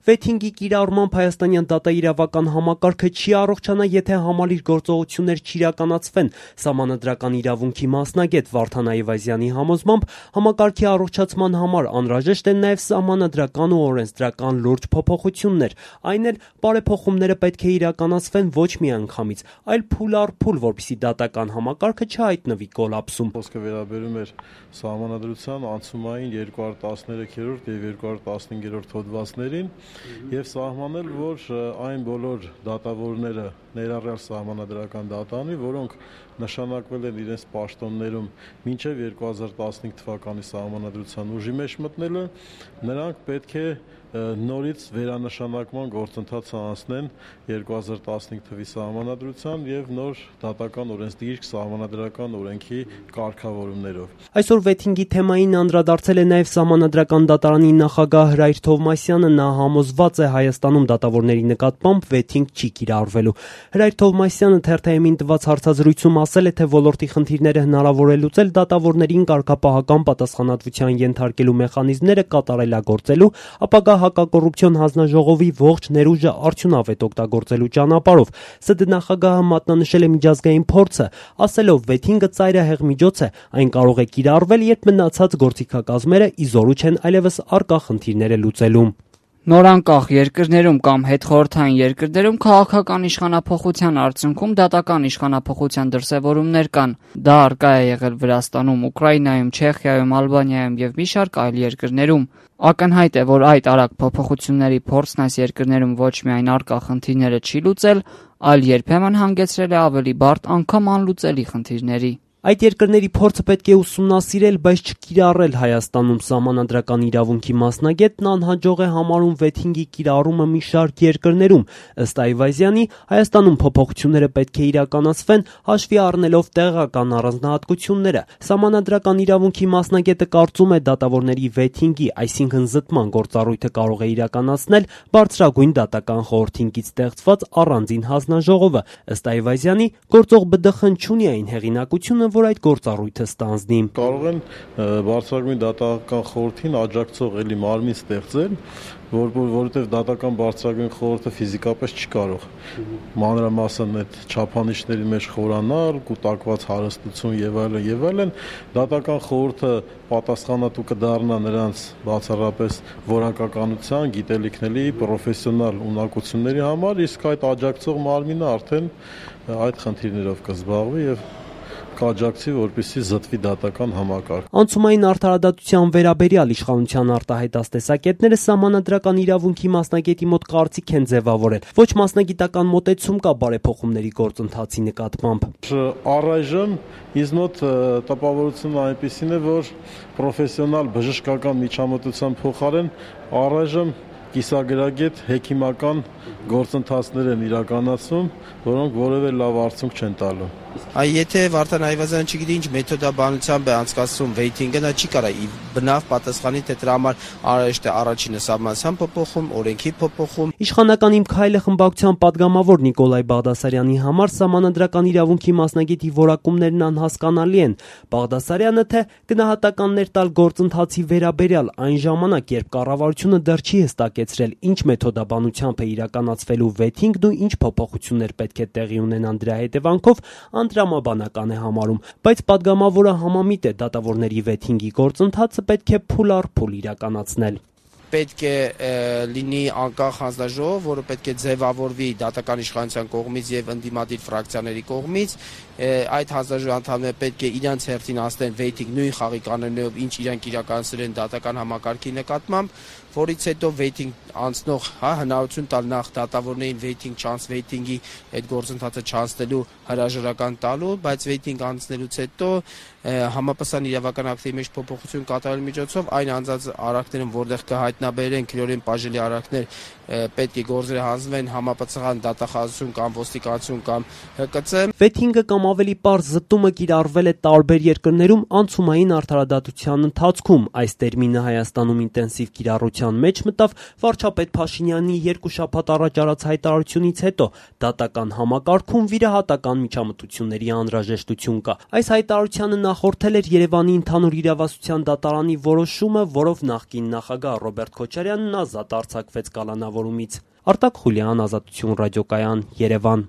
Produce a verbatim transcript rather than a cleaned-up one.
Վեթինգի կիրառմամբ հայաստանյան դատաիրավական համակարգը չի առողջանա, եթե համալիր գործողություններ չիրականացվեն։ Սահմանադրական իրավունքի մասնագետ Վարդան Այվազյանի համոզմամբ համակարգի առողջացման համար անհրաժեշտ են նաև սահմանադրական ու օրենսդրական լուրջ փոփոխություններ, այն էլ բարեփոխումները պետք է իրականացվեն ոչ միանգամից, այլ փուլ առ փուլ, որպեսզի դատական համակարգը չհայտնվի կոլապսում։ Խոսքը վերաբերում էր սահմանադրության անցումային երկու հազար տասներեքերորդ եւ երկու հազար տասնհինգերորդ հոդվածներին եւ սահմանել, որ այն բոլոր դատավորները ներառյալ սահմանադրական դատանի, որոնք նշանակվել են իրենց պաշտոններում մինչև երկու հազար տասնհինգ թվականի սահմանադրության ուժի մեջ մտնելը, նրանք պետք է նորից վերանշանակման գործընթացը անցնեն երկու հազար տասնհինգ թվականի սահմանադրության եւ նոր դատական օրենսդիրք սահմանադրական օրենքի կարգավորումներով։ Այսօր վեթինգի թեմային անդրադարձել է նաև Սահմանադրական դատարանի նախագահ Հրայր Թովմասյանը, նա համոզված է Հայաստանում դատավորների նկատմամբ վեթինգ չի կիրառվելու։ Հրայր Թովմասյանը թերթ-ին տված հարցազրույցում ասել է, թե ոլորտի խնդիրները հնարավոր է լուծել դատավորներին կարգապահական պատասխանատվության ենթարկելու մեխանիզմները կատարելագործելու, ապագա հակակոռուպցիոն հանձնաժողովի ողջ ներուժը արդյունավետ օգտագործելու ճանապարհով։ ՍԴ նախագահը մատնանշել է միջազգային փորձը, ասելով վեթինգը ծայրահեղ միջոց է, այն կարող է կիրառվել, երբ մնացած գործիքակազմերը ի զորու չեն այլևս առկա խնդիրները լուծելու։ Նորանկախ երկրներում կամ հետխորհրդային երկրներում քաղաքական իշխանափոխության արդյունքում դատական իշխանափոխության դրսևորումներ կան։ Դա առկա է եղել Վրաստանում, Ուկրաինայում, Չեխիայում, Ալբանիայում եւ մի շարք այլ երկրներում։ Ակնհայտ է, որ այդ արագ փոփոխությունների փորձն այս երկրներում ոչ միայն առկա խնդիրները չի լուծել, այլ երբեմն հանգեցրել է ավելի բարդ, անգամ անլուծելի խնդիրների։ Այդ երկրների փորձը պետք է ուսումնասիրել, բայց չկիրառել Հայաստանում։ Սահմանադրական իրավունքի մասնագետն անհաջող է համարում վեթինգի կիրառումը մի շարք երկրներում։ Ըստ Այվազյանի, Հայաստանում փոփոխությունները պետք է իրականացվեն հաշվի առնելով տեղական առանձնահատկությունները։ Սահմանադրական իրավունքի մասնագետը կարծում է դատավորների վեթինգի, այսինքն զտման գործառույթը կարող է իրականացնել բարձրագույն դատական խորհրդինքից ստեղծված առանձին հանձնաժողովը։ Ըստ Այվազյանի, գործող ԲԴԽ-ն չունի այն հեղինակությունը, որ այդ գործառույթը ստանձնի։ Կարող են բարձրագույն դատական խորհրդին աջակցող էլի մարմին ստեղծել, որ որովհետև դատական բարձրագույն խորհուրդը ֆիզիկապես չի կարող մանրամասն այդ չափանիշների մեջ խորանալ, կուտակված հարստություն եւ այլն եւ այլն, դատական խորհուրդը պատասխանատու կդառնա նրանց բացառապես որակականության, գիտելիքների, պրոֆեսիոնալ ունակությունների համար, իսկ այդ աջակցող մարմինը արդեն այդ խնդիրներով կզբաղվի եւ կաջակցի, որպեսզի զտվի դատական համակարգ։ Անցումային արդարադատության վերաբերյալ իշխանության արտահայտած տեսակետները սահմանադրական իրավունքի մասնագետի մոտ կարծիք են ձևավորել։ Ոչ մասնագիտական մոտեցում կա բարեփոխումների գործընթացի նկատմամբ։ Առայժմ ինձ մոտ տպավորությունը այնպիսին է, որ պրոֆեսիոնալ բժշկական միջամտության փոխարեն առայժմ կիսագրագետ հեքիմական գործընթացներ են իրականացում, որոնք որևէ լավ արդյունք չեն տալու։ Այ եթե Վարդան Այվազյանը չգիտի ինչ մեթոդաբանությամբ է անցկացվում վեյթինգը, նա չի կարող ի բնավ պատասխանի, թե դրա համար անհրաժեշտ է առաջինը սահմանության փոփոխում, օրենքի փոփոխում։ Իշխանական իմ քայլը խմբակցության падգամավոր Նիկոլայ Բաղդասարյանի համար սահմանադրական իրավունքի մասնագետի որակումներն անհասկանալի են։ Բաղդասարյանը թե գնահատականներ տալ գործընթացի վերաբերյալ այն ժամանակ, երբ կառավարությունը դեռ չի հստակեցրել ինչ մեթոդաբանությամբ է իրականացվելու վեթինգն ու ինչ փոփոխություններ պետք է տեղի ունենան դրա հետևանքով, անդրամաբանական է համարում, բայց падգամավորը համամիտ է դատավորների վեթինգի գործընթացը պետք է փուլ առ փուլ իրականացնել։ Պետք է լինի անկախ հանձնաժողով, որը պետք է ձևավորվի դատական իշխանության կողմից եւ ընդդիմադիր ֆրակցիաների կողմից։ Այդ հանձնաժողովի անդամները պետք է իրենց հերթին անցնեն վեյթինգ նույն խաղի կանոններով, ինչ իրանք իրականացրել են դատական համակարգի նկատմամբ, որից հետո վեյթինգ անցնող, հա, հնարավորություն տալ նախ դատավորներին վեյթինգ չանց վեյթինգի այդ գործընթացը չանցնելու հրաժարական տալու, բայց վեյթինգ անցնելուց հետո համապատասխան իրավական ակտի մեջ փոփոխություն կատարելու միջոցով այն անձանց արարքներում, որտեղ կհայտնաբերեն քրեորեն բաժելի արարքներ, պետք է գործերը հանձնվեն համապատասխան դատախազություն կամ ոստիկանություն կամ Հ Կ Ց։ Վեթինգը կամ ավելի պարզ զտումը կիրառվել է տարբեր երկրներում անցումային արդարադատության ընթացքում։ Այս տերմինը Հայաստանում ինտենսիվ կիրառության լրատվության մեջ մտավ վարչապետ Փաշինյանի երկու շաբաթ առաջ արած հայտարարությունից հետո դատական համակարգում վիրահատական միջամտությունների անհրաժեշտություն կա։ Այս հայտարարությանը նախորդել էր Երևանի ընդհանուր իրավասության դատարանի որոշումը, որով նախկին նախագահ Ռոբերտ Քոչարյանն ազատ արձակվեց կալանավորումից։ Արտակ Խուլյան, Ազատություն ռադիոկայան, Երևան։